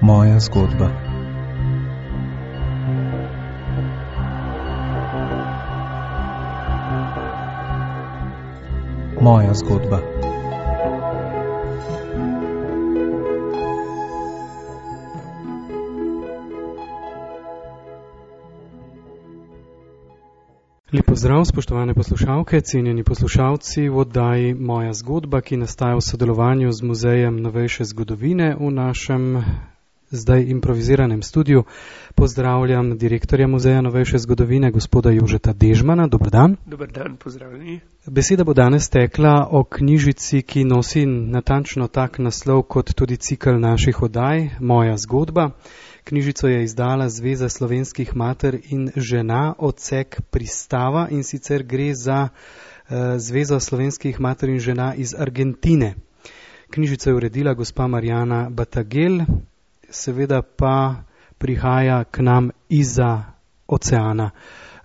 Moja zgodba. Moja zgodba. Lep pozdrav, spoštovane poslušalke, cenjeni poslušalci v oddaji Moja zgodba, ki nastaja v sodelovanju z Muzejem novejše zgodovine v našem zdaj improviziranem studiu. Pozdravljam direktorja Muzeja novejše zgodovine, gospoda Jožeta Dežmana. Dober dan. Dober dan, pozdravljeni. Beseda bo danes tekla o knjižici, ki nosi natančno tak naslov kot tudi cikl naših oddaj, Moja zgodba. Knjižico je izdala Zveza slovenskih mater in žena, odsek Pristava, in sicer gre za Zvezo slovenskih mater in žena iz Argentine. Knjižico je uredila gospa Marjana Batagel, seveda pa prihaja k nam izza oceana.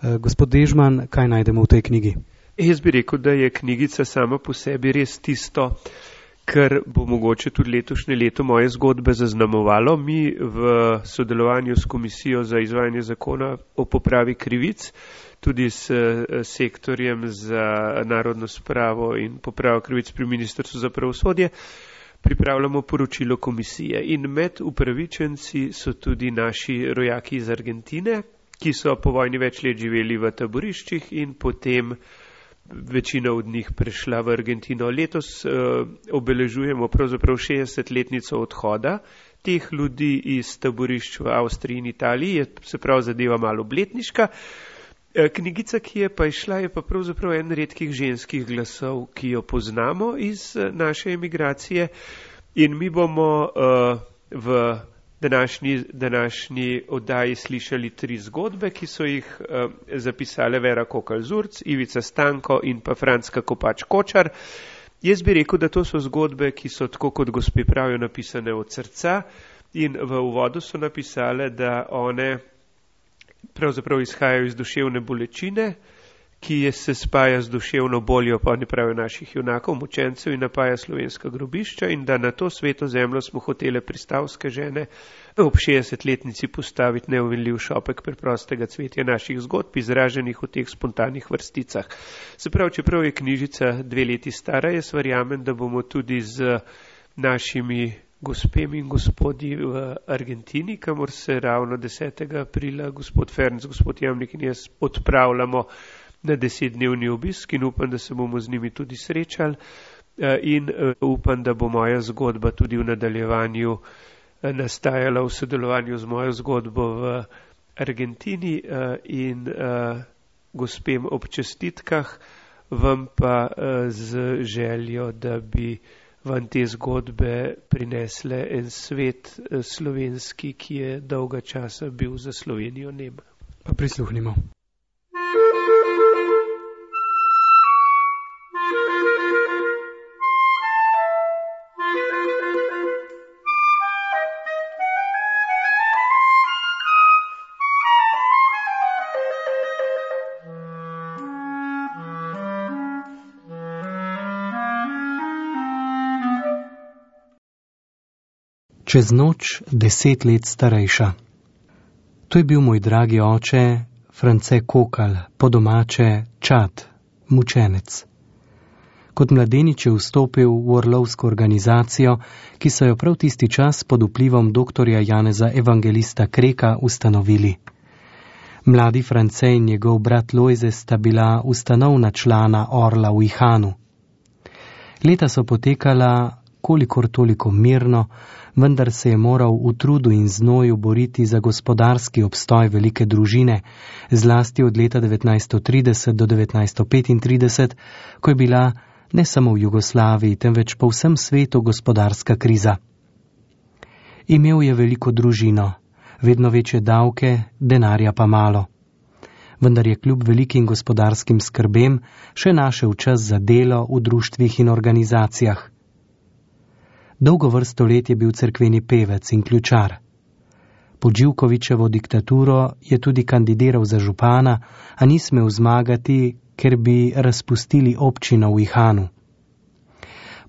Gospod Dežman, kaj najdemo v tej knjigi? Jaz bi rekel, da je knjigica sama po sebi res tisto, kar bo mogoče tudi letošnje leto Moje zgodbe zaznamovalo. Mi v sodelovanju s Komisijo za izvajanje zakona o popravi krivic, tudi s sektorjem za narodno spravo in popravo krivic pri Ministrstvu za pravosodje, pripravljamo poročilo komisije. In med upravičenci so tudi naši rojaki iz Argentine, ki so po vojni več let živeli v taboriščih in potem večina od njih prešla v Argentino. Letos obeležujemo pravzaprav 60-letnico odhoda teh ljudi iz taborišč v Avstriji in Italiji, je se prav zadeva malo obletniška. Knjigica, ki je pa išla, je pa pravzaprav en redkih ženskih glasov, ki jo poznamo iz naše emigracije, in mi bomo v današnji oddaji slišali 3 zgodbe, ki so jih zapisale Vera Kokalj-Zurc, Ivica Stanko in pa Franska Kopač-Kočar. Jaz bi rekel, da to so zgodbe, ki so tako kot gospe pravijo napisane od srca, in v uvodu so napisale, da one pravzaprav izhajajo iz duševne bolečine, ki se spaja z duševno boljo, pa ne pravijo, naših junakov, mučencev, in napaja slovenska grobišča, in da na to sveto zemljo smo hotele pristavske žene ob 60-letnici postaviti neuvinljiv šopek preprostega cvetja naših zgodb, izraženih v teh spontanih vrsticah. Se pravi, čeprav je knjižica 2 leti stara, jaz verjamem, da bomo tudi z našimi gospemi in gospodi v Argentini, kamor se ravno 10. aprila gospod Ferenc, gospod Jamnik in jaz odpravljamo na 10-dnevni obisk, in upam, da se bomo z njimi tudi srečali, in upam, da bo moja zgodba tudi v nadaljevanju nastajala v sodelovanju z mojo zgodbo v Argentini, in gospem ob čestitkah, vam pa z željo, da bi vam te zgodbe prinesle en svet slovenski, ki je dolga časa bil za Slovenijo nem. Pa prisluhnimo. Čez noč 10 let starejša. To je bil moj dragi oče, France Kokalj, po domače čad, mučenec. Kot mladenič je vstopil v orlovsko organizacijo, ki so jo prav tisti čas pod vplivom doktorja Janeza Evangelista Kreka ustanovili. Mladi France in njegov brat Lojze sta bila ustanovna člana Orla v Ihanu. Leta so potekala kolikor toliko mirno, vendar se je moral v trudu in znoju boriti za gospodarski obstoj velike družine, zlasti od leta 1930 do 1935, ko je bila ne samo v Jugoslaviji, temveč po vsem svetu gospodarska kriza. Imel je veliko družino, vedno večje davke, denarja pa malo. Vendar je kljub velikim gospodarskim skrbem še našel čas za delo v društvih in organizacijah. Dolgo vrsto let je bil cerkveni pevec in ključar. Pod Živkovićevo diktaturo je tudi kandidiral za župana, a ni smel zmagati, ker bi razpustili občino v Ihanu.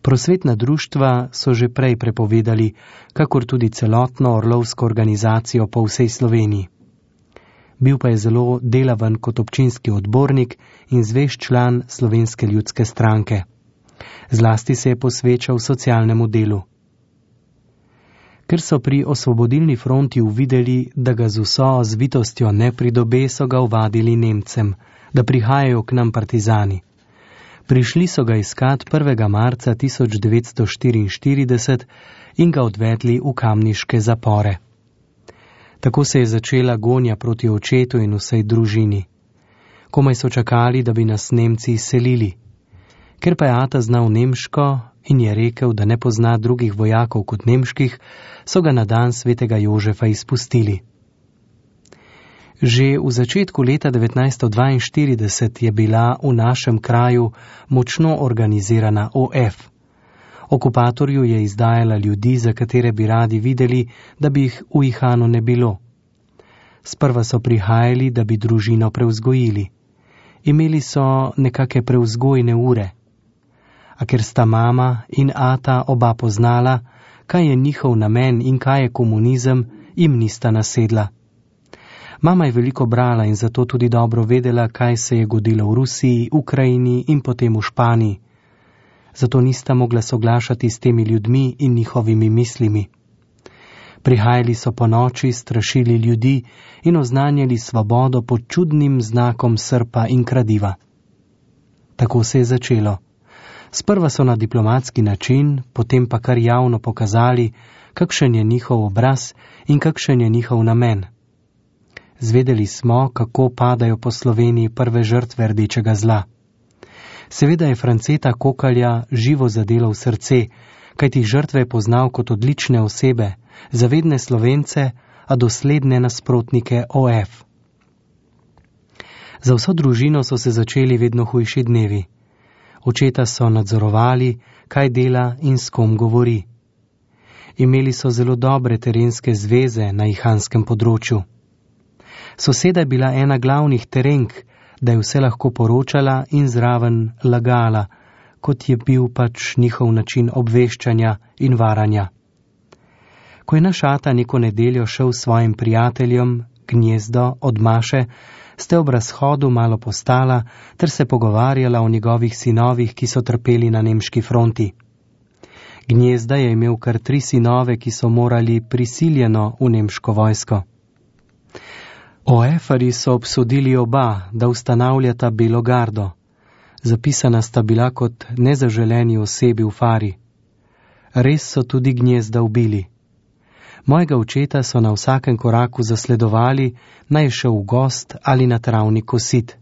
Prosvetna društva so že prej prepovedali, kakor tudi celotno orlovsko organizacijo po vsej Sloveniji. Bil pa je zelo delaven kot občinski odbornik in zvest član Slovenske ljudske stranke. Zlasti se je posvečal socialnemu delu. Ker so pri Osvobodilni fronti uvideli, da ga z vso zvitostjo ne pridobe, so ga ovadili Nemcem, da prihajajo k nam partizani. Prišli so ga iskat 1. marca 1944 in ga odvedli v kamniške zapore. Tako se je začela gonja proti očetu in vsej družini. Komaj so čakali, da bi nas Nemci izselili. Ker pa je ata znal nemško in je rekel, da ne pozna drugih vojakov kot nemških, so ga na dan svetega Jožefa izpustili. Že v začetku leta 1942 je bila v našem kraju močno organizirana OF. Okupatorju je izdajala ljudi, za katere bi radi videli, da bi jih v Ihanu ne bilo. Sprva so prihajali, da bi družino prevzgojili. Imeli so nekake prevzgojne ure. A ker sta mama in ata oba poznala, kaj je njihov namen in kaj je komunizem, jim nista nasedla. Mama je veliko brala in zato tudi dobro vedela, kaj se je godilo v Rusiji, Ukrajini in potem v Španiji. Zato nista mogla soglašati s temi ljudmi in njihovimi mislimi. Prihajali so po noči, strašili ljudi in oznanjali svobodo pod čudnim znakom srpa in kradiva. Tako se je začelo. Sprva so na diplomatski način, potem pa kar javno pokazali, kakšen je njihov obraz in kakšen je njihov namen. Zvedeli smo, kako padajo po Sloveniji prve žrtve rdečega zla. Seveda je Franceta Kokalja živo zadelo v srce, kajti žrtve je poznal kot odlične osebe, zavedne Slovence, a dosledne nasprotnike OF. Za vso družino so se začeli vedno hujši dnevi. Očeta so nadzorovali, kaj dela in s kom govori. Imeli so zelo dobre terenske zveze na ihanskem področju. Soseda je bila ena glavnih terenk, da je vse lahko poročala in zraven lagala, kot je bil pač njihov način obveščanja in varanja. Ko je naš ata neko nedeljo šel s svojim prijateljem, Gnjezdo, od Maše, ste ob razhodu malo postala ter se pogovarjala o njegovih sinovih, ki so trpeli na nemški fronti. Gnjezda je imel kar 3 sinove, ki so morali prisiljeno v nemško vojsko. OF-ari so obsodili oba, da ustanavljata Belo gardo. Zapisana sta bila kot nezaželeni osebi v fari. Res so tudi Gnjezda ubili. Mojega očeta so na vsakem koraku zasledovali, naj šel v gost ali na travni kosit.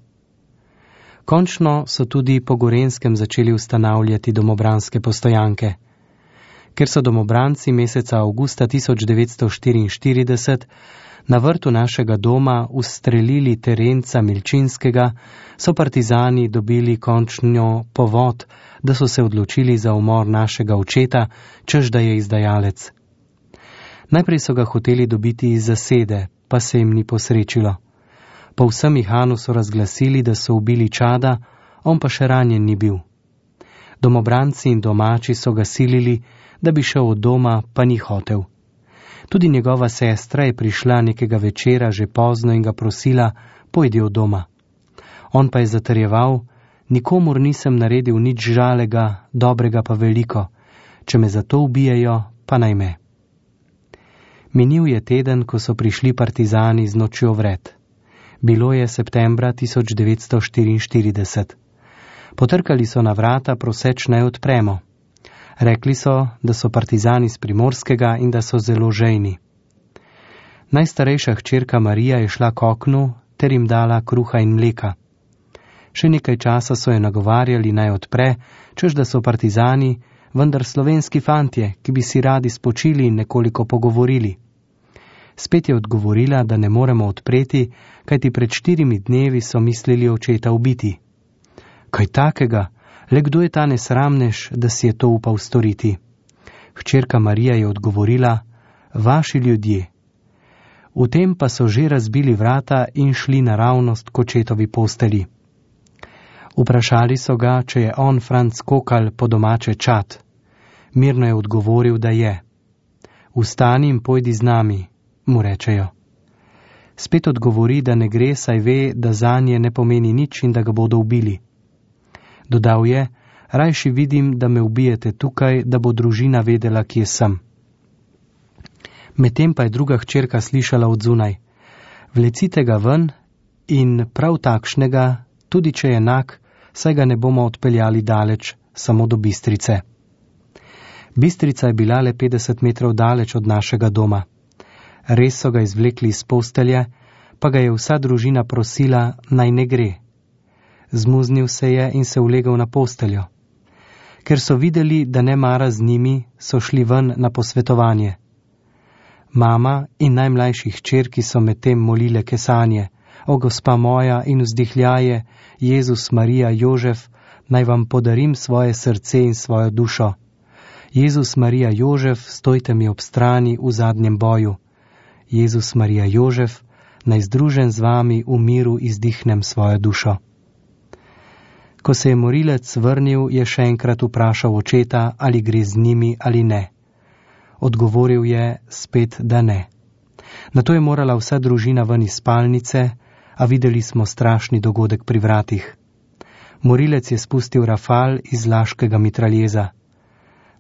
Končno so tudi po Gorenjskem začeli ustanavljati domobranske postojanke. Ker so domobranci meseca avgusta 1944 na vrtu našega doma ustrelili terenca Milčinskega, so partizani dobili končno povod, da so se odločili za umor našega očeta, češ da je izdajalec. Najprej so ga hoteli dobiti iz zasede, pa se jim ni posrečilo. Po vsem Ihanu so razglasili, da so ubili Čada, on pa še ranjen ni bil. Domobranci in domači so ga silili, da bi šel od doma, pa ni hotel. Tudi njegova sestra je prišla nekega večera že pozno in ga prosila, pojdi od doma. On pa je zatrjeval, nikomur nisem naredil nič žalega, dobrega pa veliko, če me zato ubijajo, pa naj me. Minil je teden, ko so prišli partizani z nočjo vred. Bilo je septembra 1944. Potrkali so na vrata, proseč naj odpremo. Rekli so, da so partizani z Primorskega in da so zelo žejni. Najstarejša hčerka Marija je šla k oknu ter jim dala kruha in mleka. Še nekaj časa so jo nagovarjali naj odpre, češ da so partizani, vendar slovenski fantje, ki bi si radi spočili in nekoliko pogovorili. Spet je odgovorila, da ne moremo odpreti, kajti pred 4 dnevi so mislili očeta ubiti. Kaj takega? Le kdo je ta nesramnež, da si je to upal storiti? Hčerka Marija je odgovorila, vaši ljudje. V tem pa so že razbili vrata in šli naravnost k očetovi posteli. Vprašali so ga, če je on Franc Kokal po domače Čad. Mirno je odgovoril, da je. Vstani in pojdi z nami, mu rečejo. Spet odgovori, da ne gre, saj ve, da zanje ne pomeni nič in da ga bodo ubili. Dodal je, rajši vidim, da me ubijete tukaj, da bo družina vedela, kje sem. Medtem pa je druga hčerka slišala od zunaj. Vlecite ga ven in prav takšnega, tudi če je enak, saj ga ne bomo odpeljali daleč, samo do Bistrice. Bistrica je bila le 50 metrov daleč od našega doma. Res so ga izvlekli iz postelje, pa ga je vsa družina prosila, naj ne gre. Zmuznil se je in se ulegel na posteljo. Ker so videli, da ne mara z njimi, so šli ven na posvetovanje. Mama in najmlajši hčerki so medtem molile kesanje, o gospa moja in vzdihljaje, Jezus, Marija, Jožef, naj vam podarim svoje srce in svojo dušo. Jezus, Marija, Jožef, stojte mi ob strani v zadnjem boju. Jezus, Marija, Jožef, naj združen z vami v miru izdihnem svojo dušo. Ko se je morilec vrnil, je še enkrat vprašal očeta, ali gre z njimi ali ne. Odgovoril je spet, da ne. Nato je morala vsa družina ven iz spalnice, a videli smo strašni dogodek pri vratih. Morilec je spustil rafal iz laškega mitraljeza.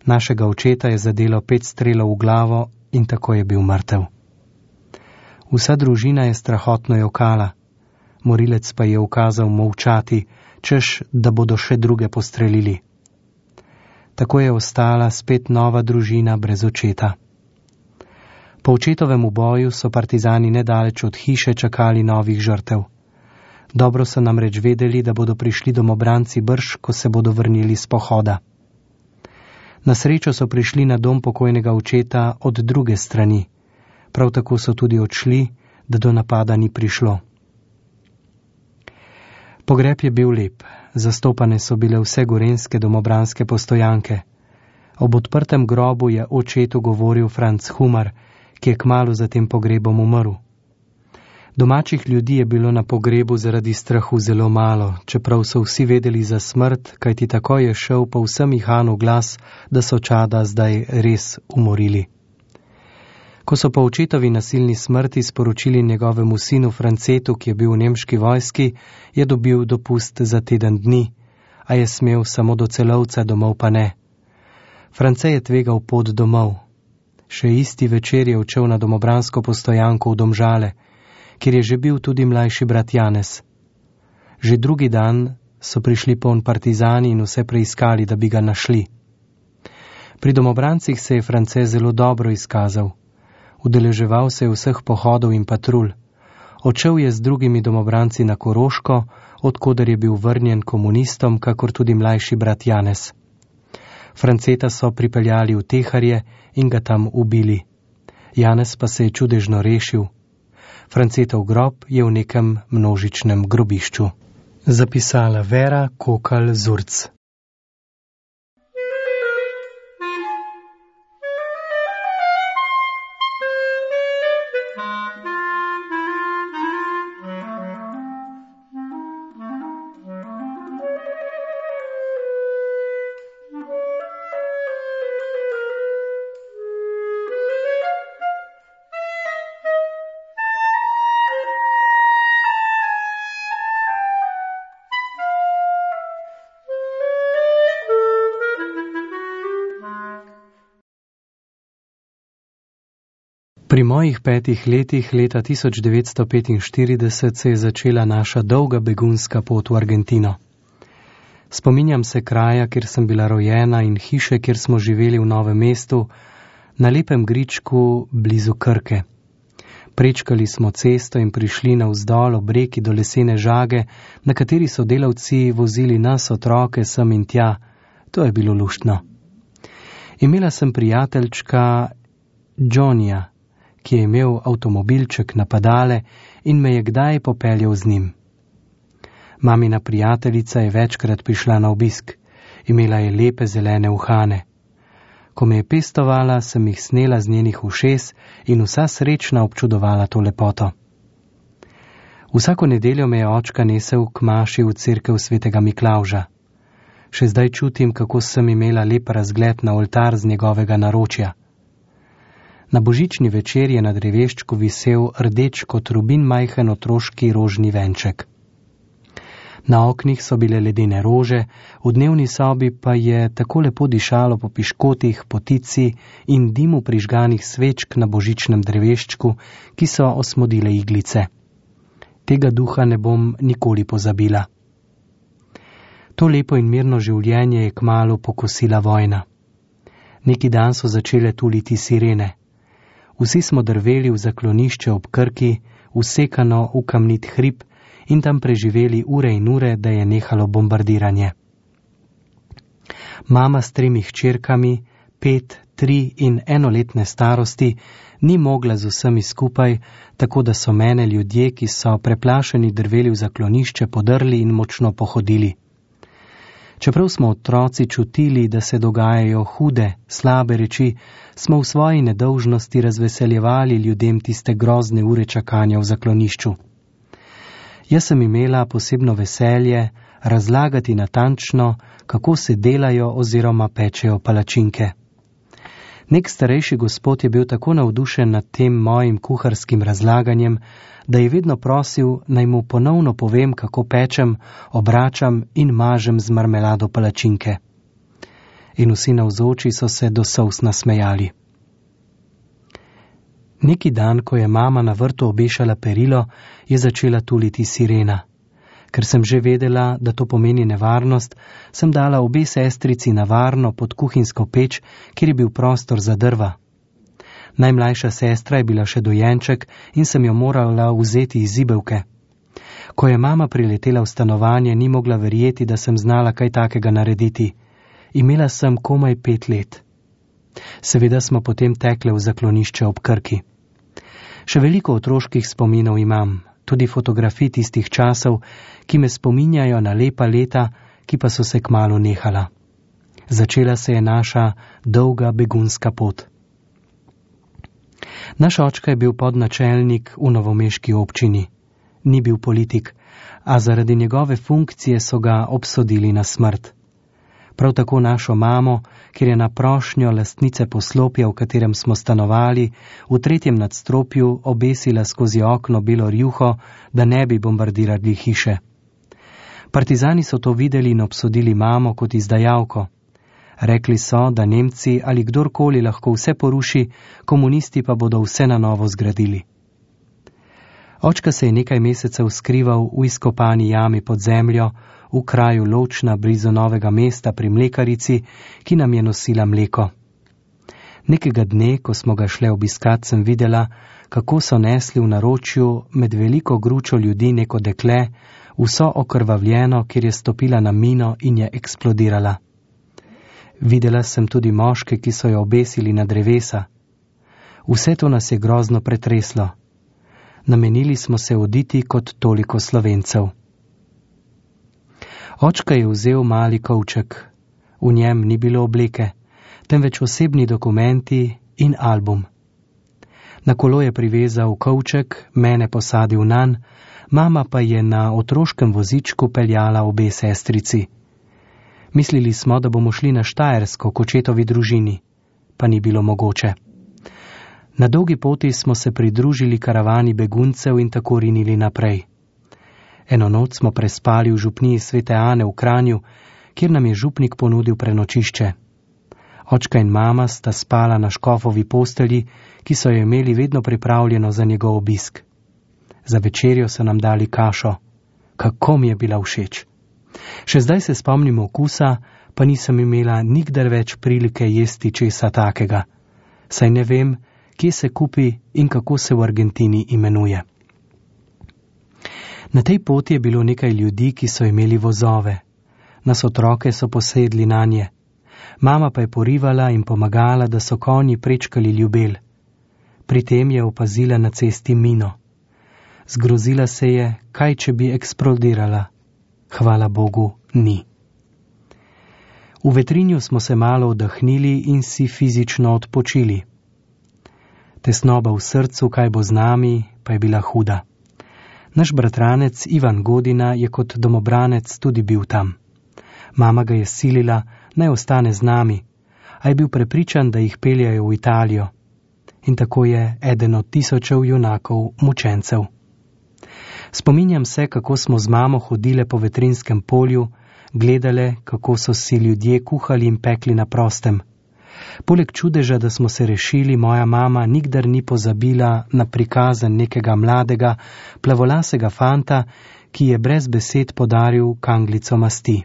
Našega očeta je zadelo 5 strelov v glavo in tako je bil mrtev. Vsa družina je strahotno jokala. Morilec pa je ukazal molčati, češ, da bodo še druge postrelili. Tako je ostala spet nova družina brez očeta. Po očetovem uboju so partizani nedaleč od hiše čakali novih žrtev. Dobro so namreč vedeli, da bodo prišli domobranci brž, ko se bodo vrnili s pohoda. Na srečo so prišli na dom pokojnega očeta od druge strani. Prav tako so tudi odšli, da do napada ni prišlo. Pogreb je bil lep. Zastopane so bile vse gorenjske domobranske postojanke. Ob odprtem grobu je očetu govoril Franc Humar, ki je kmalu za tem pogrebom umrl. Domačih ljudi je bilo na pogrebu zaradi strahu zelo malo, čeprav so vsi vedeli za smrt, kajti tako je šel po vsem Ihanu glas, da so čada zdaj res umorili. Ko so po očetovi nasilni smrti sporočili njegovemu sinu Francetu, ki je bil v nemški vojski, je dobil dopust za teden dni, a je smel samo do Celovca, domov pa ne. France je tvegal pot domov. Še isti večer je odšel na domobransko postojanko v Domžale, kjer je že bil tudi mlajši brat Janez. Že drugi dan so prišli poln partizani in vse preiskali, da bi ga našli. Pri domobrancih se je France zelo dobro izkazal. Udeleževal se je vseh pohodov in patrulj. Odšel je z drugimi domobranci na Koroško, odkoder je bil vrnjen komunistom, kakor tudi mlajši brat Janez. Franceta so pripeljali v Teharje in ga tam ubili. Janez pa se je čudežno rešil. Francetov grob je v nekem množičnem grobišču. Zapisala Vera Kokal Zurc. Pri mojih 5 letih, leta 1945, se je začela naša dolga begunska pot v Argentino. Spominjam se kraja, kjer sem bila rojena in hiše, kjer smo živeli v Novem mestu, na lepem gričku blizu Krke. Prečkali smo cesto in prišli navzdol ob reki do lesene žage, na kateri so delavci vozili nas otroke sem in tja. To je bilo luštno. Imela sem prijateljčka Johnnyja, ki je imel avtomobilček na pedale in me je kdaj popeljal z njim. Mamina prijateljica je večkrat prišla na obisk. Imela je lepe zelene uhane. Ko me je pestovala, sem jih snela z njenih ušes in vsa srečna občudovala to lepoto. Vsako nedeljo me je očka nesel k maši v cerkev svetega Miklavža. Še zdaj čutim, kako sem imela lep razgled na oltar z njegovega naročja. Na božični večer je na dreveščku visel rdeč kot rubin majhen otroški rožni venček. Na oknih so bile ledene rože, v dnevni sobi pa je tako lepo dišalo po piškotih, potici in dimu prižganih svečk na božičnem dreveščku, ki so osmodile iglice. Tega duha ne bom nikoli pozabila. To lepo in mirno življenje je kmalu pokosila vojna. Neki dan so začele tuliti sirene. Vsi smo drveli v zaklonišče ob Krki, usekano v kamnit hrib in tam preživeli ure in ure, da je nehalo bombardiranje. Mama s 3 hčerkami, 5, 3 in 1-letne starosti, ni mogla z vsemi skupaj, tako da so mene ljudje, ki so preplašeni drveli v zaklonišče, podrli in močno pohodili. Čeprav smo otroci čutili, da se dogajajo hude, slabe reči, smo v svoji nedolžnosti razveseljevali ljudem tiste grozne ure čakanja v zaklonišču. Jaz sem imela posebno veselje razlagati natančno, kako se delajo oziroma pečejo palačinke. Nek starejši gospod je bil tako navdušen nad tem mojim kuharskim razlaganjem, da je vedno prosil, naj mu ponovno povem, kako pečem, obračam in mažem z marmelado palačinke. In vsi navzoči so se do solz nasmejali. Neki dan, ko je mama na vrtu obešala perilo, je začela tuliti sirena. Ker sem že vedela, da to pomeni nevarnost, sem dala obe sestrici na varno pod kuhinjsko peč, kjer je bil prostor za drva. Najmlajša sestra je bila še dojenček in sem jo morala vzeti iz zibelke. Ko je mama priletela v stanovanje, ni mogla verjeti, da sem znala kaj takega narediti. Imela sem komaj 5 let. Seveda smo potem tekle v zaklonišče ob Krki. Še veliko otroških spominov imam, tudi fotografij tistih časov, ki me spominjajo na lepa leta, ki pa so se kmalu nehala. Začela se je naša dolga begunska pot. Naš očka je bil podnačelnik v novomeški občini. Ni bil politik, a zaradi njegove funkcije so ga obsodili na smrt. Prav tako našo mamo, ker je na prošnjo lastnice poslopja, v katerem smo stanovali, v 3. nadstropju obesila skozi okno belo rjuho, da ne bi bombardirali hiše. Partizani so to videli in obsodili mamo kot izdajalko. Rekli so, da Nemci ali kdorkoli lahko vse poruši, komunisti pa bodo vse na novo zgradili. Očka se je nekaj mesecev skrival v izkopani jami pod zemljo, v kraju Lovčna blizu Novega mesta pri mlekarici, ki nam je nosila mleko. Nekega dne, ko smo ga šle obiskat, sem videla, kako so nesli v naročju med veliko gručo ljudi neko dekle, vso okrvavljeno, kjer je stopila na mino in je eksplodirala. Videla sem tudi moške, ki so jo obesili na drevesa. Vse to nas je grozno pretreslo. Namenili smo se oditi kot toliko Slovencev. Očka je vzel mali kovček. V njem ni bilo obleke, temveč osebni dokumenti in album. Na kolo je privezal kovček, mene posadil nanj, mama pa je na otroškem vozičku peljala obe sestrici. Mislili smo, da bomo šli na Štajersko k očetovi družini, pa ni bilo mogoče. Na dolgi poti smo se pridružili karavani beguncev in tako rinili naprej. Eno noč smo prespali v župniji Svete Ane v Kranju, kjer nam je župnik ponudil prenočišče. Očka in mama sta spala na škofovi postelji, ki so jo imeli vedno pripravljeno za njegov obisk. Za večerjo so nam dali kašo. Kako mi je bila všeč! Še zdaj se spomnim okusa, pa nisem imela nikdar več prilike jesti česa takega. Saj ne vem, kje se kupi in kako se v Argentini imenuje. Na tej poti je bilo nekaj ljudi, ki so imeli vozove. Nas otroke so posedli nanje. Mama pa je porivala in pomagala, da so konji prečkali ljubel. Pri tem je opazila na cesti mino. Zgrozila se je, kaj če bi eksplodirala. Hvala Bogu, ni. V vetrinju smo se malo oddahnili in si fizično odpočili. Tesnoba v srcu, kaj bo z nami, pa je bila huda. Naš bratranec Ivan Godina je kot domobranec tudi bil tam. Mama ga je silila, naj ostane z nami, a je bil prepričan, da jih peljajo v Italijo. In tako je eden od tisočev junakov mučencev. Spominjam se, kako smo z mamo hodile po Vetrinskem polju, gledale, kako so si ljudje kuhali in pekli na prostem. Poleg čudeža, da smo se rešili, moja mama nikdar ni pozabila na prikazen nekega mladega, plavolasega fanta, ki je brez besed podaril kanglico masti.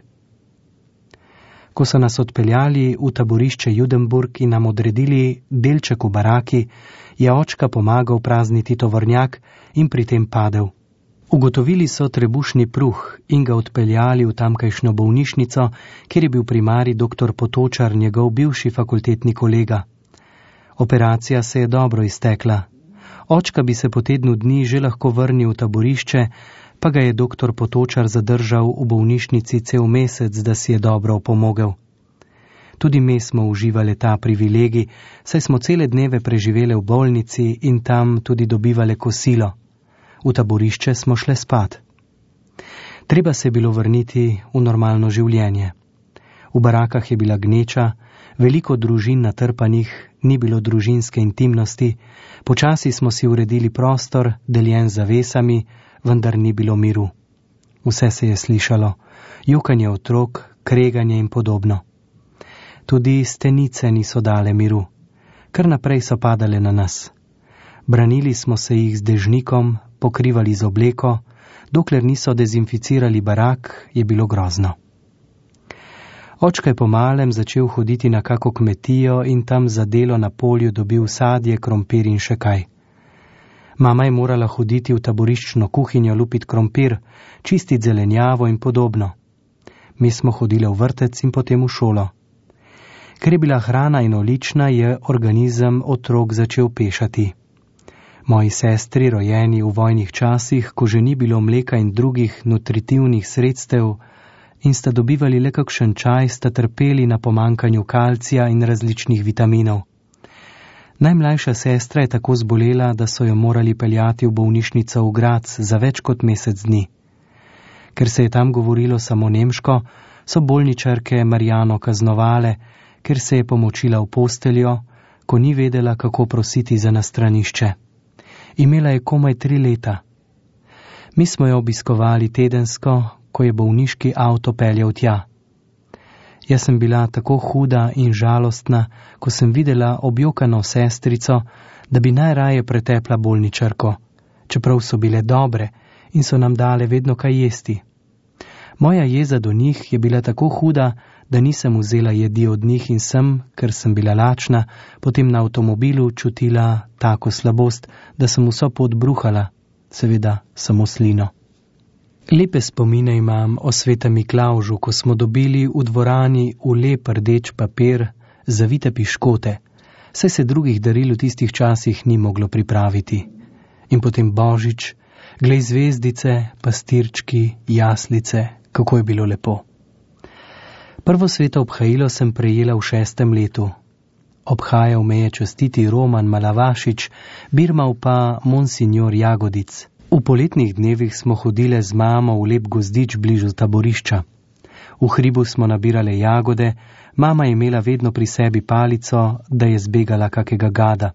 Ko so nas odpeljali v taborišče Judenburg in nam odredili delček v baraki, je očka pomagal prazniti tovornjak in pri tem padel. Ugotovili so trebušni pruh in ga odpeljali v tamkajšnjo bolnišnico, kjer je bil primarij dr. Potočar, njegov bivši fakultetni kolega. Operacija se je dobro iztekla. Očka bi se po tednu dni že lahko vrnil v taborišče, pa ga je dr. Potočar zadržal v bolnišnici cel mesec, da si je dobro opomogel. Tudi mi smo uživali ta privilegij, saj smo cele dneve preživele v bolnici in tam tudi dobivale kosilo. V taborišče smo šle spat. Treba se je bilo vrniti v normalno življenje. V barakah je bila gneča, veliko družin natrpanih, ni bilo družinske intimnosti, počasi smo si uredili prostor, deljen z zavesami, vendar ni bilo miru. Vse se je slišalo, jokanje otrok, kreganje in podobno. Tudi stenice niso dale miru, kar naprej so padale na nas. Branili smo se jih z dežnikom, pokrivali z obleko, dokler niso dezinficirali barak, je bilo grozno. Očka je po malem začel hoditi na kako kmetijo in tam za delo na polju dobil sadje, krompir in še kaj. Mama je morala hoditi v taboriščno kuhinjo lupit krompir, čistit zelenjavo in podobno. Mi smo hodile v vrtec in potem v šolo. Ker je bila hrana enolična, je organizem otrok začel pešati. Moji sestri, rojeni v vojnih časih, ko že ni bilo mleka in drugih nutritivnih sredstev in sta dobivali le kakšen čaj, sta trpeli na pomankanju kalcija in različnih vitaminov. Najmlajša sestra je tako zbolela, da so jo morali peljati v bolnišnico v Graz za več kot mesec dni. Ker se je tam govorilo samo nemško, so bolničarke Marjano kaznovale, ker se je pomočila v posteljo, ko ni vedela, kako prositi za nastranišče. Imela je komaj 3 leta. Mi smo jo obiskovali tedensko, ko je bolniški avto peljal tja. Jaz sem bila tako huda in žalostna, ko sem videla objokano sestrico, da bi najraje pretepla bolničarko, čeprav so bile dobre in so nam dale vedno kaj jesti. Moja jeza do njih je bila tako huda, da nisem vzela jedi od njih in sem, ker sem bila lačna, potem na avtomobilu čutila tako slabost, da sem vso pot bruhala, seveda samo slino. Lepe spomine imam o svetem Miklavžu, ko smo dobili v dvorani v lep rdeč papir zavite piškote, saj se drugih daril v tistih časih ni moglo pripraviti. In potem Božič, glej zvezdice, pastirčki, jaslice, kako je bilo lepo. Prvo sveto obhajilo sem prejela v 6. letu. Obhajal me je častiti Roman Malavašič, birmal pa monsignor Jagodic. V poletnih dnevih smo hodile z mamo v lep gozdič bližu taborišča. V hribu smo nabirale jagode, mama je imela vedno pri sebi palico, da je zbegala kakega gada.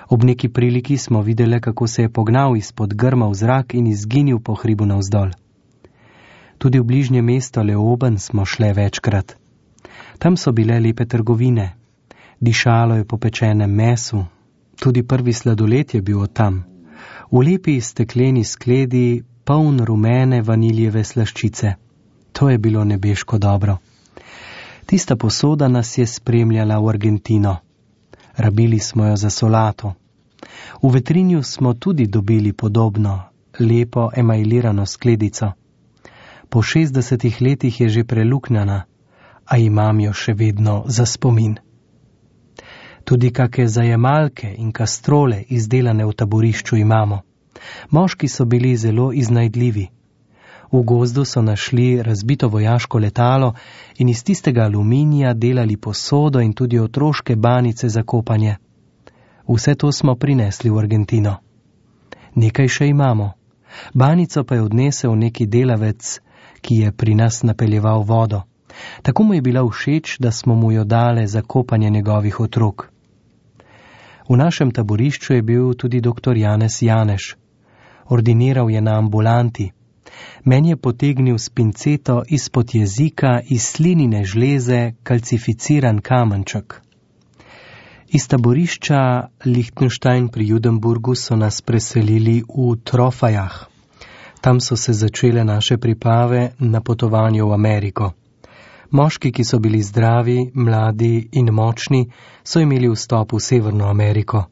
Ob neki priliki smo videle, kako se je pognal izpod grma v zrak in izginil po hribu navzdol. Tudi v bližnje mesto Leoben smo šle večkrat. Tam so bile lepe trgovine. Dišalo je po pečenem mesu. Tudi prvi sladoled je bil od tam. V lepi stekleni skledi, poln rumene vaniljeve slaščice. To je bilo nebeško dobro. Tista posoda nas je spremljala v Argentino. Rabili smo jo za solato. V Vetrinju smo tudi dobili podobno, lepo emajlirano skledico. Po 60 letih je že preluknjana, a imam jo še vedno za spomin. Tudi kake zajemalke in kastrole izdelane v taborišču imamo. Moški so bili zelo iznajdljivi. V gozdu so našli razbito vojaško letalo in iz tistega aluminija delali posodo in tudi otroške banice za kopanje. Vse to smo prinesli v Argentino. Nekaj še imamo. Banico pa je odnesel neki delavec, ki je pri nas napeljeval vodo. Tako mu je bila všeč, da smo mu jo dale za kopanje njegovih otrok. V našem taborišču je bil tudi dr. Janez Janeš. Ordiniral je na ambulanti. Meni je potegnil s pinceto izpod jezika iz slinine žleze kalcificiran kamenček. Iz taborišča Lichtenstein pri Judenburgu so nas preselili v Trofajah. Tam so se začele naše priprave na potovanje v Ameriko. Moški, ki so bili zdravi, mladi in močni, so imeli vstop v Severno Ameriko.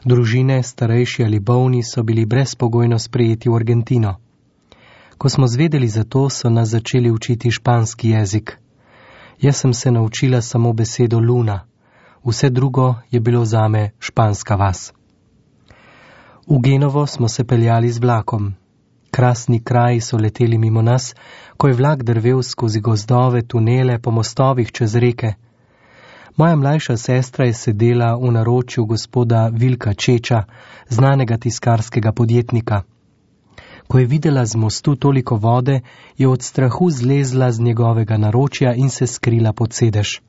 Družine, starejši ali bolni, so bili brezpogojno sprejeti v Argentino. Ko smo zvedeli za to, so nas začeli učiti španski jezik. Jaz sem se naučila samo besedo Luna. Vse drugo je bilo zame španska vas. V Genovo smo se peljali z vlakom. Krasni kraji so leteli mimo nas, ko je vlak drvel skozi gozdove, tunele, po mostovih čez reke. Moja mlajša sestra je sedela v naročju gospoda Vilka Čeča, znanega tiskarskega podjetnika. Ko je videla z mostu toliko vode, je od strahu zlezla z njegovega naročja in se skrila pod sedež.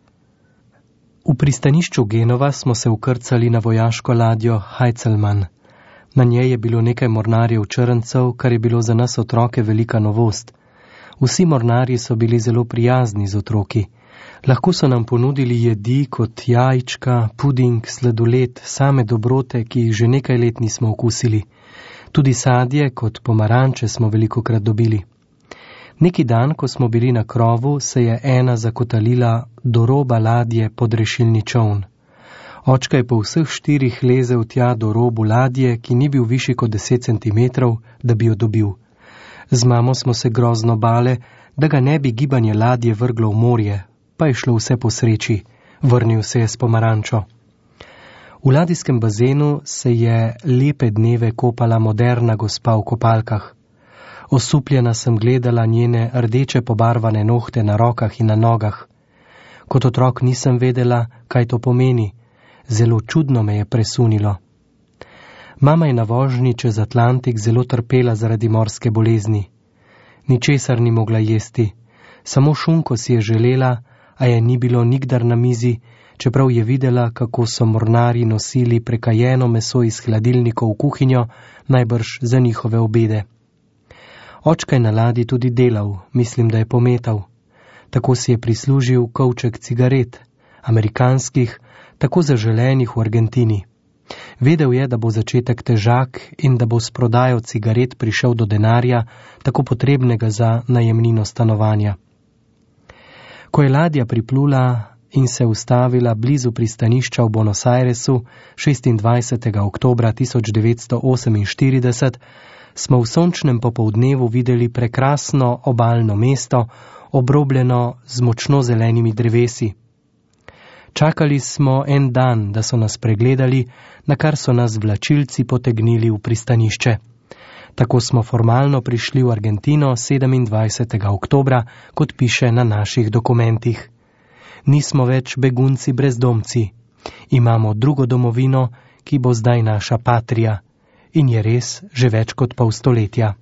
V pristanišču Genova smo se ukrcali na vojaško ladjo Heizelmann. Na njej je bilo nekaj mornarjev črncev, kar je bilo za nas otroke velika novost. Vsi mornarji so bili zelo prijazni z otroki. Lahko so nam ponudili jedi kot jajčka, puding, sladoled, same dobrote, ki jih že nekaj let nismo okusili. Tudi sadje kot pomaranče smo velikokrat dobili. Neki dan, ko smo bili na krovu, se je ena zakotalila do roba ladje pod rešilni čoln. Očka je po vseh 4 lezel tja do robu ladje, ki ni bil višji kot 10 centimetrov, da bi jo dobil. Z mamo smo se grozno bale, da ga ne bi gibanje ladje vrglo v morje, pa je šlo vse po sreči. Vrnil se je s pomarančo. V ladijskem bazenu se je lepe dneve kopala moderna gospa v kopalkah. Osupljena sem gledala njene rdeče pobarvane nohte na rokah in na nogah. Kot otrok nisem vedela, kaj to pomeni. Zelo čudno me je presunilo. Mama je na vožnji čez Atlantik zelo trpela zaradi morske bolezni. Ničesar ni mogla jesti. Samo šunko si je želela, a je ni bilo nikdar na mizi, čeprav je videla, kako so mornarji nosili prekajeno meso iz hladilnikov v kuhinjo, najbrž za njihove obede. Očka je na ladji tudi delal, mislim, da je pometal. Tako si je prislužil kovček cigaret, amerikanskih, tako zaželenih v Argentini. Vedel je, da bo začetek težak in da bo s prodajo cigaret prišel do denarja, tako potrebnega za najemnino stanovanja. Ko je ladja priplula in se ustavila blizu pristanišča v Buenos Airesu 26. oktobra 1948, smo v sončnem popoldnevu videli prekrasno obalno mesto, obrobljeno z močno zelenimi drevesi. Čakali smo en dan, da so nas pregledali, na kar so nas vlačilci potegnili v pristanišče. Tako smo formalno prišli v Argentino 27. oktobra, kot piše na naših dokumentih. Nismo več begunci brezdomci. Imamo drugo domovino, ki bo zdaj naša patrija. In je res že več kot pol stoletja.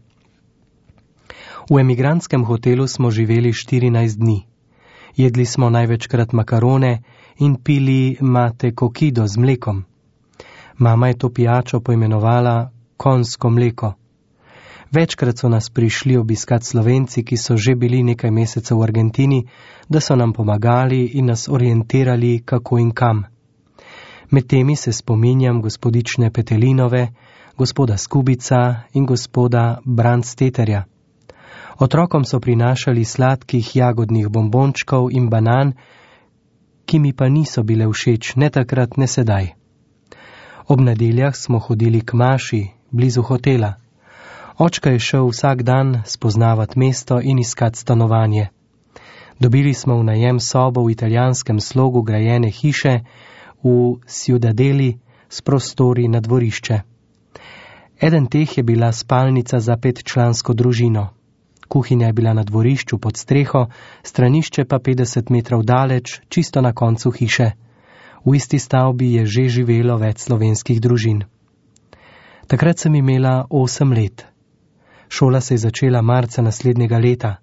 V emigrantskem hotelu smo živeli 14 dni. Jedli smo največkrat makarone in pili mate kokido z mlekom. Mama je to pijačo poimenovala konjsko mleko. Večkrat so nas prišli obiskat Slovenci, ki so že bili nekaj mesecev v Argentini, da so nam pomagali in nas orientirali, kako in kam. Med temi se spominjam gospodične Petelinove, gospoda Skubica in gospoda Brandsteterja. Otrokom so prinašali sladkih jagodnih bombončkov in banan, ki mi pa niso bile všeč, ne takrat, ne sedaj. Ob nedeljah smo hodili k maši, blizu hotela. Očka je šel vsak dan spoznavat mesto in iskat stanovanje. Dobili smo v najem sobo v italijanskem slogu grajene hiše v Ciudadeli s prostori na dvorišče. Eden teh je bila spalnica za 5-člansko družino. Kuhinja je bila na dvorišču pod streho, stranišče pa 50 metrov daleč, čisto na koncu hiše. V isti stavbi je že živelo več slovenskih družin. Takrat sem imela 8 let. Šola se je začela marca naslednjega leta.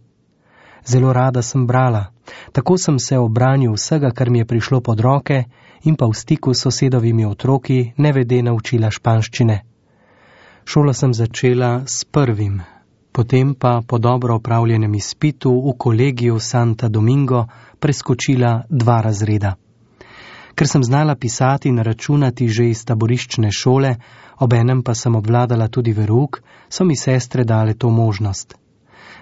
Zelo rada sem brala. Tako sem se obranil vsega, kar mi je prišlo pod roke in pa v stiku s sosedovimi otroki nevede naučila španščine. Šolo sem začela s 1., potem pa po dobro opravljenem izpitu v kolegiju Santa Domingo preskočila 2 razreda. Ker sem znala pisati in računati že iz taboriščne šole, obenem pa sem obvladala tudi verouk, so mi sestre dale to možnost.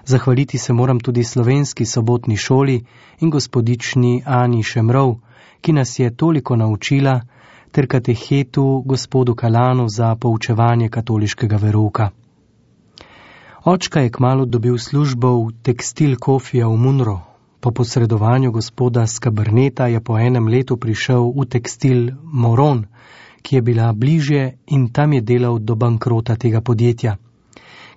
Zahvaliti se moram tudi slovenski sobotni šoli in gospodični Ani Šemrov, ki nas je toliko naučila, ter katehetu gospodu Kalanu za poučevanje katoliškega verouka. Očka je kmalu dobil službo v tekstil Kofija v Munro. Po posredovanju gospoda Skaberneta je po 1 letu prišel v tekstil Moron, ki je bila bližje in tam je delal do bankrota tega podjetja.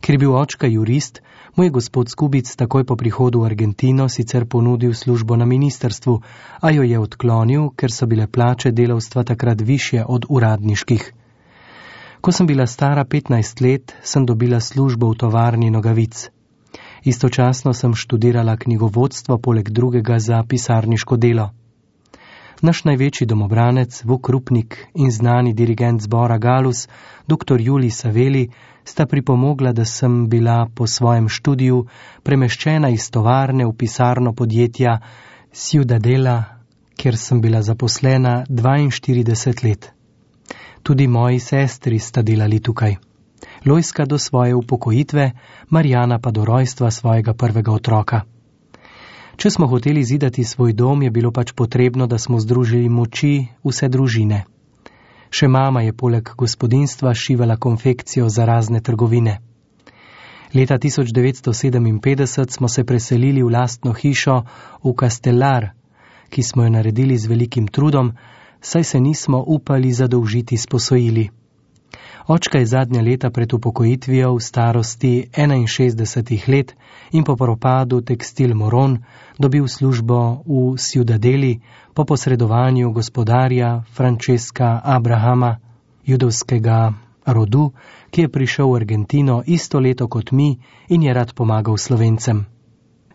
Ker je bil očka jurist, mu je gospod Skubic takoj po prihodu v Argentino sicer ponudil službo na ministrstvu, a jo je odklonil, ker so bile plače delavstva takrat višje od uradniških. Ko sem bila stara 15 let, sem dobila službo v tovarni nogavic. Istočasno sem študirala knjigovodstvo poleg drugega za pisarniško delo. Naš največji domobranec, Vuk Rupnik in znani dirigent zbora Galus, dr. Julij Saveli, sta pripomogla, da sem bila po svojem študiju premeščena iz tovarne v pisarno podjetja Ciudadela, kjer sem bila zaposlena 42 let. Tudi moji sestri sta delali tukaj. Lojska do svoje upokojitve, Marjana pa do rojstva svojega prvega otroka. Če smo hoteli zidati svoj dom, je bilo pač potrebno, da smo združili moči vse družine. Še mama je poleg gospodinjstva šivala konfekcijo za razne trgovine. Leta 1957 smo se preselili v lastno hišo v Castellar, ki smo jo naredili z velikim trudom, saj se nismo upali zadolžiti s posojili. Očka je zadnja leta pred upokojitvijo v starosti 61 let in po propadu tekstil Moron dobil službo v Ciudadeli po posredovanju gospodarja Francesca Abrahama, judovskega rodu, ki je prišel v Argentino isto leto kot mi in je rad pomagal Slovencem.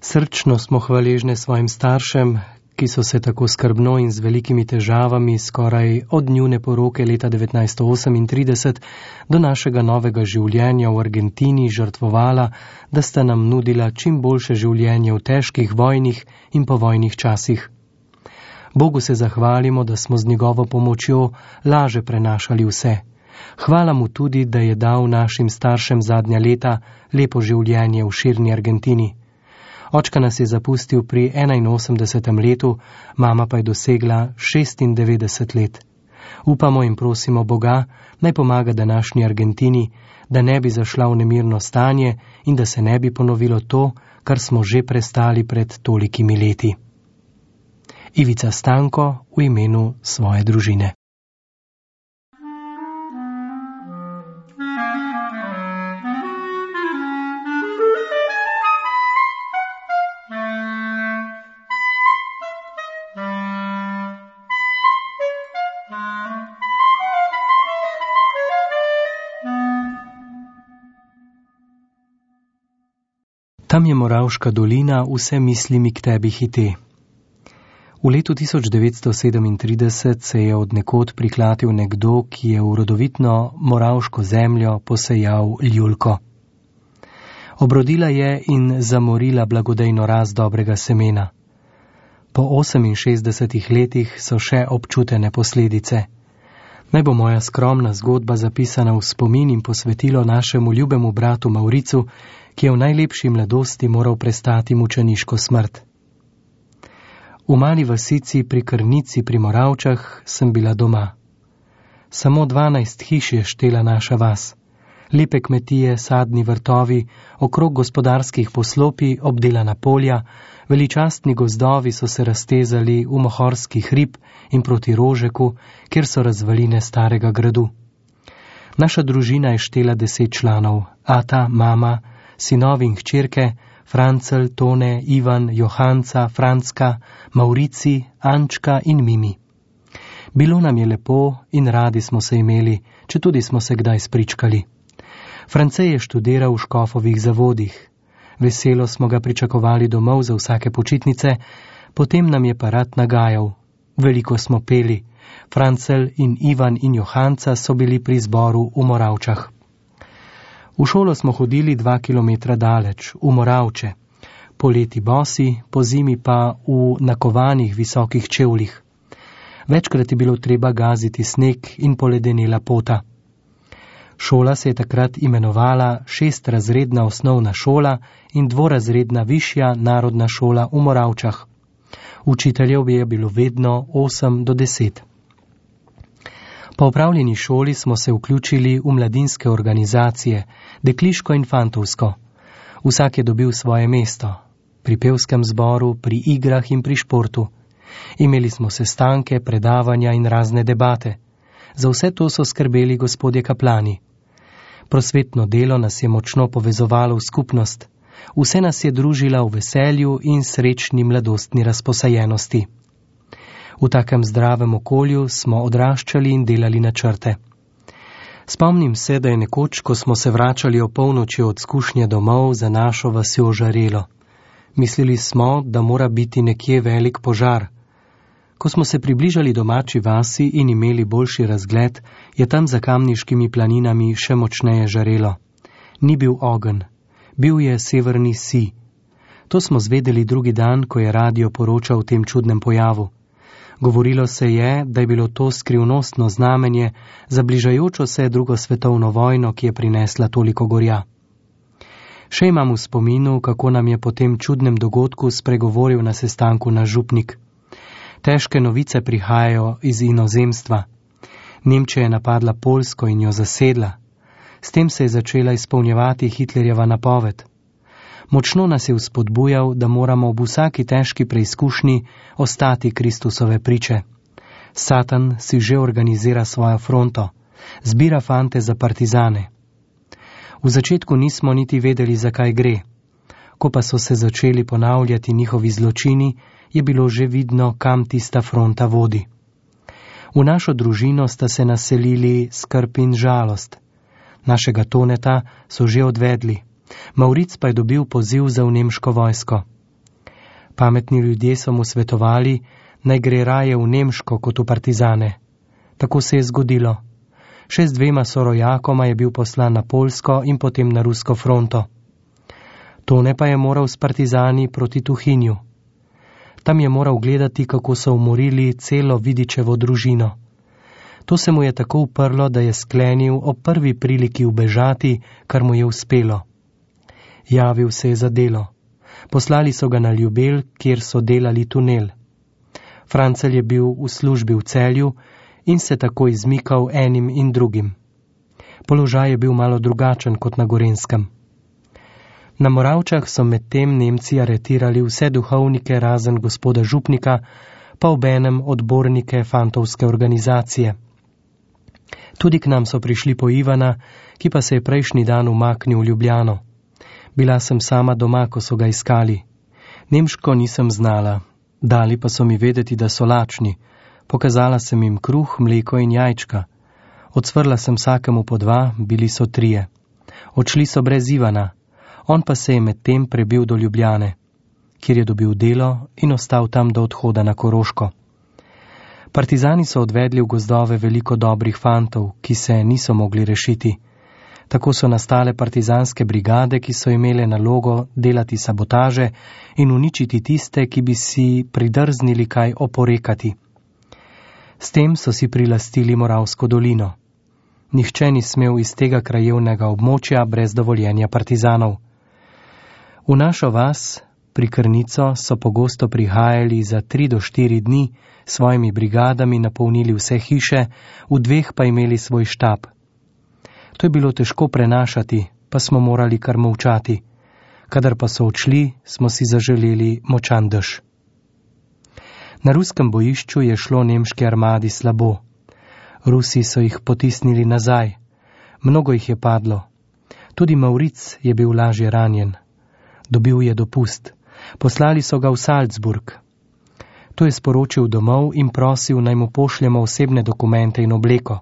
Srčno smo hvaležne svojim staršem, ki so se tako skrbno in z velikimi težavami skoraj od njune poroke leta 1938 do našega novega življenja v Argentini žrtvovala, da sta nam nudila čim boljše življenje v težkih vojnih in povojnih časih. Bogu se zahvalimo, da smo z njegovo pomočjo laže prenašali vse. Hvala mu tudi, da je dal našim staršem zadnja leta lepo življenje v širni Argentini. Očka nas je zapustil pri 81. letu, mama pa je dosegla 96 let. Upamo in prosimo Boga, naj pomaga današnji Argentini, da ne bi zašla v nemirno stanje in da se ne bi ponovilo to, kar smo že prestali pred tolikimi leti. Ivica Stanko v imenu svoje družine. Tam je Moravška dolina, vse misli mi k tebi hite. V letu 1937 se je od nekod priklatil nekdo, ki je v rodovitno moravško zemljo posejal ljulko. Obrodila je in zamorila blagodejno rast dobrega semena. Po 68 letih so še občutene posledice. Naj bo moja skromna zgodba zapisana v spomin in posvetilo našemu ljubemu bratu Mauricu, ki je v najlepši mladosti moral prestati mučeniško smrt. V mali vasici pri Krnici pri Moravčah sem bila doma. Samo 12 hiš je štela naša vas. Lepe kmetije, sadni vrtovi, okrog gospodarskih poslopij, obdelana polja, veličastni gozdovi so se raztezali v mohorski hrib in proti Rožeku, kjer so razvaline starega gradu. Naša družina je štela 10 članov, ata, mama, sinovi in hčerke, Francel, Tone, Ivan, Johanca, Francka, Maurici, Ančka in Mimi. Bilo nam je lepo in radi smo se imeli, četudi smo se kdaj spričkali. France je študiral v Škofovih zavodih. Veselo smo ga pričakovali domov za vsake počitnice, potem nam je pa rad nagajal. Veliko smo peli. Francel in Ivan in Johanca so bili pri zboru v Moravčah. V šolo smo hodili 2 kilometra daleč, v Moravče. Poleti bosi, po zimi pa v nakovanih visokih čevljih. Večkrat je bilo treba gaziti sneg in poledenela pota. Šola se je takrat imenovala 6-razredna osnovna šola in 2-razredna višja narodna šola v Moravčah. Učiteljev je bilo vedno 8 do 10. Po opravljeni šoli smo se vključili v mladinske organizacije, dekliško in fantovsko. Vsak je dobil svoje mesto, pri pevskem zboru, pri igrah in pri športu. Imeli smo sestanke, predavanja in razne debate. Za vse to so skrbeli gospodje kaplani. Prosvetno delo nas je močno povezovalo v skupnost. Vse nas je družila v veselju in srečni mladostni razposajenosti. V takem zdravem okolju smo odraščali in delali načrte. Spomnim se, da je nekoč, ko smo se vračali o polnoči od skušnje domov, za našo vasjo žarelo. Mislili smo, da mora biti nekje velik požar. Ko smo se približali domači vasi in imeli boljši razgled, je tam za Kamniškimi planinami še močneje žarelo. Ni bil ogenj, bil je severni sij. To smo zvedeli drugi dan, ko je radio poročal o tem čudnem pojavu. Govorilo se je, da je bilo to skrivnostno znamenje za bližajočo se drugo svetovno vojno, ki je prinesla toliko gorja. Še imam v spominu, kako nam je po tem čudnem dogodku spregovoril na sestanku naš župnik. Težke novice prihajajo iz inozemstva. Nemčija je napadla Poljsko in jo zasedla. S tem se je začela izpolnjevati Hitlerjeva napoved. Močno nas je vzpodbujal, da moramo ob vsaki težki preizkušnji ostati Kristusove priče. Satan si že organizira svojo fronto, zbira fante za partizane. V začetku nismo niti vedeli, zakaj gre. Ko pa so se začeli ponavljati njihovi zločini, je bilo že vidno, kam tista fronta vodi. V našo družino sta se naselili skrb in žalost. Našega Toneta so že odvedli. Mauric pa je dobil poziv za v nemško vojsko. Pametni ljudje so mu svetovali, naj gre raje v nemško kot v partizane. Tako se je zgodilo. Še z 2 sorojakoma je bil poslan na Poljsko in potem na rusko fronto. Tone pa je moral s partizani proti Tuhinju. Tam je moral gledati, kako so umorili celo Vidičevo družino. To se mu je tako uprlo, da je sklenil ob prvi priliki ubežati, kar mu je uspelo. Javil se je za delo. Poslali so ga na Ljubelj, kjer so delali tunel. Francel je bil v službi v Celju in se tako izmikal enim in drugim. Položaj je bil malo drugačen kot na Gorenjskem. Na Moravčah so medtem Nemci aretirali vse duhovnike razen gospoda župnika, pa obenem odbornike fantovske organizacije. Tudi k nam so prišli po Ivana, ki pa se je prejšnji dan umaknil v Ljubljano. Bila sem sama doma, ko so ga iskali. Nemško nisem znala, dali pa so mi vedeti, da so lačni. Pokazala sem jim kruh, mleko in jajčka. Odsvrla sem vsakemu po 2, bili so 3. Odšli so brez Ivana, on pa se je medtem prebil do Ljubljane, kjer je dobil delo in ostal tam do odhoda na Koroško. Partizani so odvedli v gozdove veliko dobrih fantov, ki se niso mogli rešiti. Tako so nastale partizanske brigade, ki so imele nalogo delati sabotaže in uničiti tiste, ki bi si pridrznili kaj oporekati. S tem so si prilastili Moravsko dolino. Nihče ni smel iz tega krajevnega območja brez dovoljenja partizanov. V našo vas, pri Krnico, so pogosto prihajali za 3 do 4 dni, svojimi brigadami napolnili vse hiše, v 2 pa imeli svoj štab. To je bilo težko prenašati, pa smo morali kar molčati. Kadar pa so odšli, smo si zaželeli močan dež. Na ruskem bojišču je šlo nemški armadi slabo. Rusi so jih potisnili nazaj. Mnogo jih je padlo. Tudi Mauric je bil lažje ranjen. Dobil je dopust. Poslali so ga v Salzburg. To je sporočil domov in prosil, naj mu pošljemo osebne dokumente in obleko.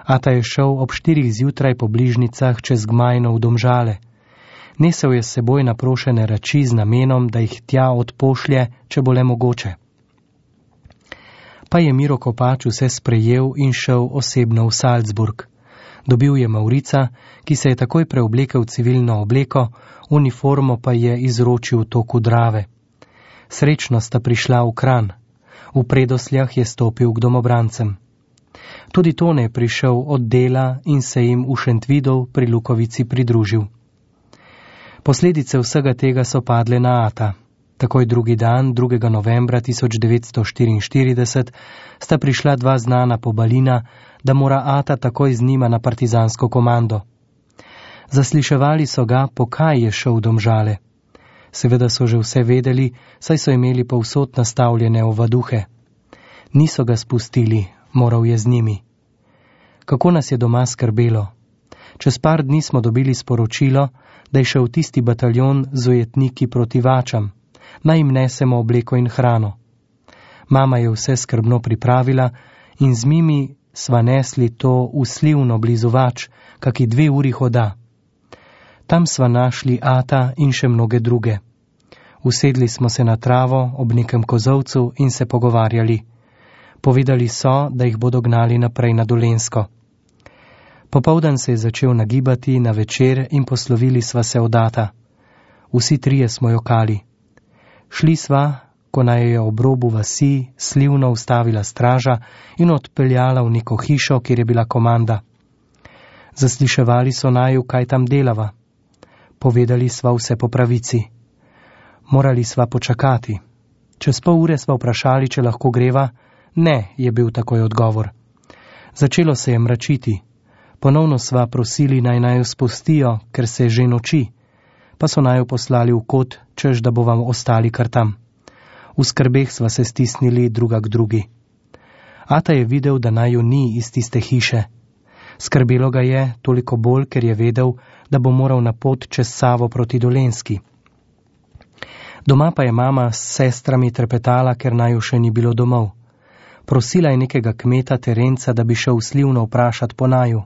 Ata je šel ob 4 zjutraj po bližnicah čez Gmajno v Domžale. Nesel je s seboj naprošene reči z namenom, da jih tja odpošlje, če bo le mogoče. Pa je Miro Kopač vse sprejel in šel osebno v Salzburg. Dobil je Maurica, ki se je takoj preoblekel v civilno obleko, uniformo pa je izročil v toku Drave. Srečno sta prišla v Kranj. V Predosljah je stopil k domobrancem. Tudi Tone je prišel od dela in se jim v Šentvidov pri Lukovici pridružil. Posledice vsega tega so padle na Ata. Takoj drugi dan, 2. novembra 1944, sta prišla dva znana pobalina, da mora Ata takoj z njima na partizansko komando. Zasliševali so ga, po kaj je šel v Domžale. Seveda so že vse vedeli, saj so imeli povsod nastavljene ovaduhe. Niso ga spustili, moral je z njimi. Kako nas je doma skrbelo. Čez par dni smo dobili sporočilo, da je šel tisti bataljon z ujetniki proti Vačam. Naj jim nesemo obleko in hrano. Mama je vse skrbno pripravila in z Mimi sva nesli to v Slivno blizu Vač, kaki 2 uri hoda. Tam sva našli Ata in še mnoge druge. Usedli smo se na travo ob nekem kozovcu in se pogovarjali. Povedali so, da jih bodo gnali naprej na Dolenjsko. Popoldan se je začel nagibati na večer in poslovili sva se od Ata. Vsi trije smo jokali. Šli sva, ko naj je ob robu vasi Slivno ustavila straža in odpeljala v neko hišo, kjer je bila komanda. Zasliševali so naju, kaj tam delava. Povedali sva vse po pravici. Morali sva počakati. Čez pol ure sva vprašali, če lahko greva. Ne, je bil takoj odgovor. Začelo se je mračiti. Ponovno sva prosili, naj jo spustijo, ker se že noči. Pa so naju poslali v kot, češ da bo vam ostali kar tam. V skrbeh sva se stisnili druga k drugi. Ata je videl, da naju ni iz tiste hiše. Skrbelo ga je, toliko bolj, ker je vedel, da bo moral na pot čez Savo proti Dolenjski. Doma pa je mama s sestrami trepetala, ker naju še ni bilo domov. Prosila je nekega kmeta Terenca, da bi šel v Slivno vprašat po naju.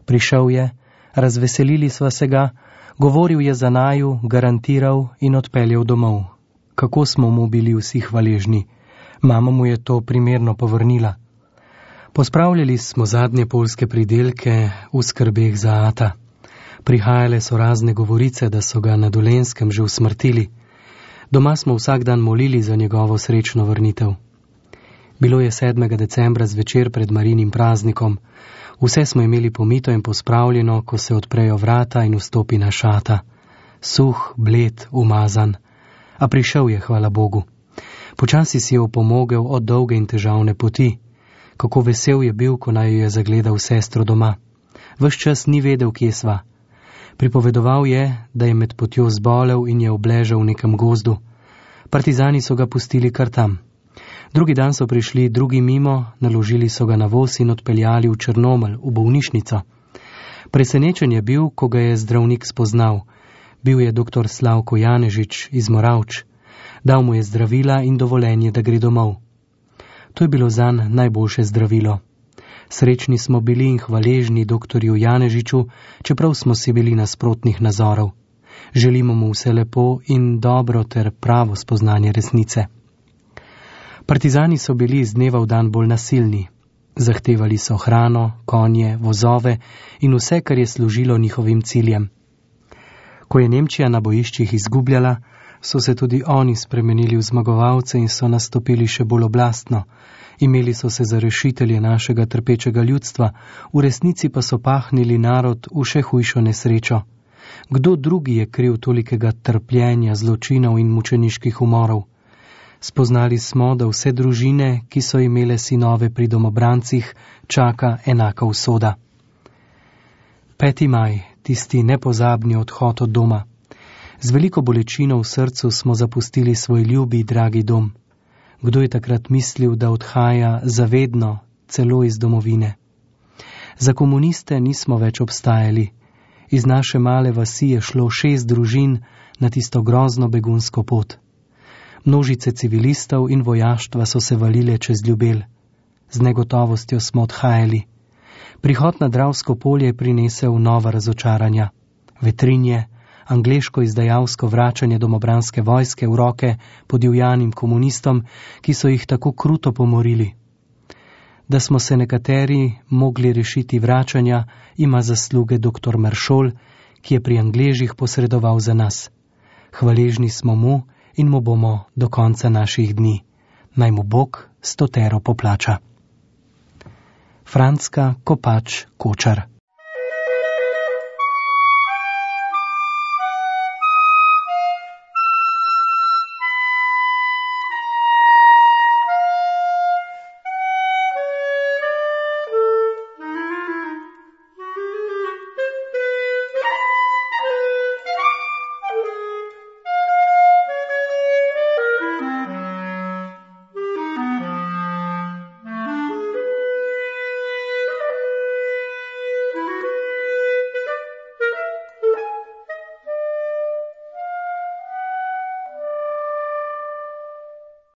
Prišel je, razveselili sva se ga, govoril je za naju, garantiral in odpeljal domov. Kako smo mu bili vsi hvaležni. Mama mu je to primerno povrnila. Pospravljali smo zadnje poljske pridelke v skrbeh za Ata. Prihajale so razne govorice, da so ga na Dolenjskem že usmrtili. Doma smo vsak dan molili za njegovo srečno vrnitev. Bilo je 7. decembra zvečer pred Marinim praznikom. Vse smo imeli pomito in pospravljeno, ko se odprejo vrata in vstopi naš Ata. Suh, bled, umazan. A prišel je, hvala Bogu. Počasi si je opomogel od dolge in težavne poti. Kako vesel je bil, ko naj je zagledal sestro doma. Ves čas ni vedel, kje sva. Pripovedoval je, da je med potjo zbolel in je obležal v nekem gozdu. Partizani so ga pustili kar tam. Drugi dan so prišli drugi mimo, naložili so ga na voz in odpeljali v Črnomelj, v bolnišnico. Presenečen je bil, ko ga je zdravnik spoznal. Bil je dr. Slavko Janežič iz Moravč. Dal mu je zdravila in dovoljenje, da gre domov. To je bilo zanj najboljše zdravilo. Srečni smo bili in hvaležni doktorju Janežiču, čeprav smo si bili nasprotnih nazorov. Želimo mu vse lepo in dobro ter pravo spoznanje resnice. Partizani so bili iz dneva v dan bolj nasilni. Zahtevali so hrano, konje, vozove in vse, kar je služilo njihovim ciljem. Ko je Nemčija na bojiščih izgubljala, so se tudi oni spremenili v zmagovalce in so nastopili še bolj oblastno. Imeli so se za rešitelje našega trpečega ljudstva, v resnici pa so pahnili narod v še hujšo nesrečo. Kdo drugi je kriv tolikega trpljenja, zločinov in mučeniških umorov? Spoznali smo, da vse družine, ki so imele sinove pri domobrancih, čaka enaka usoda. 5. maj, tisti nepozabni odhod od doma. Z veliko bolečino v srcu smo zapustili svoj ljubi, dragi dom. Kdo je takrat mislil, da odhaja zavedno, celo iz domovine? Za komuniste nismo več obstajali. Iz naše male vasi je šlo 6 družin na tisto grozno begunsko pot. Množice civilistov in vojaštva so se valile čez Ljubelj. Z negotovostjo smo odhajali. Prihod na Dravsko polje je prinesel nova razočaranja. Vetrinje, angleško izdajalsko vračanje domobranske vojske v roke podivjanim komunistom, ki so jih tako kruto pomorili. Da smo se nekateri mogli rešiti vračanja, ima zasluge dr. Maršol, ki je pri Angležih posredoval za nas. Hvaležni smo mu in mu bomo do konca naših dni. Naj mu Bog 100 poplača. Francka Kopač Kočar.